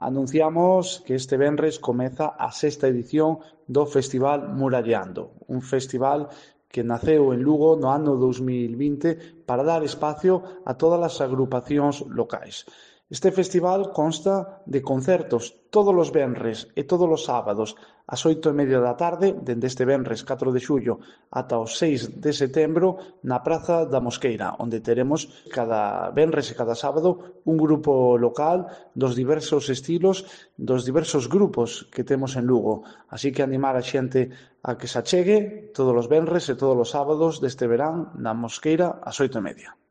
Anunciamos que este venres comeza a sexta edición do Festival Murallando, un festival que naceu en Lugo no ano 2020 para dar espacio a todas as agrupacións locais. Este festival consta de concertos todos os venres e todos os sábados ás 8:30 da tarde, dende este venres 4 de xullo ata o 6 de setembro, na Praza da Mosqueira, onde teremos cada venres e cada sábado un grupo local dos diversos estilos, dos diversos grupos que temos en Lugo. Así que animar a xente a que se achegue todos os venres e todos os sábados deste verán na Mosqueira ás 8:30.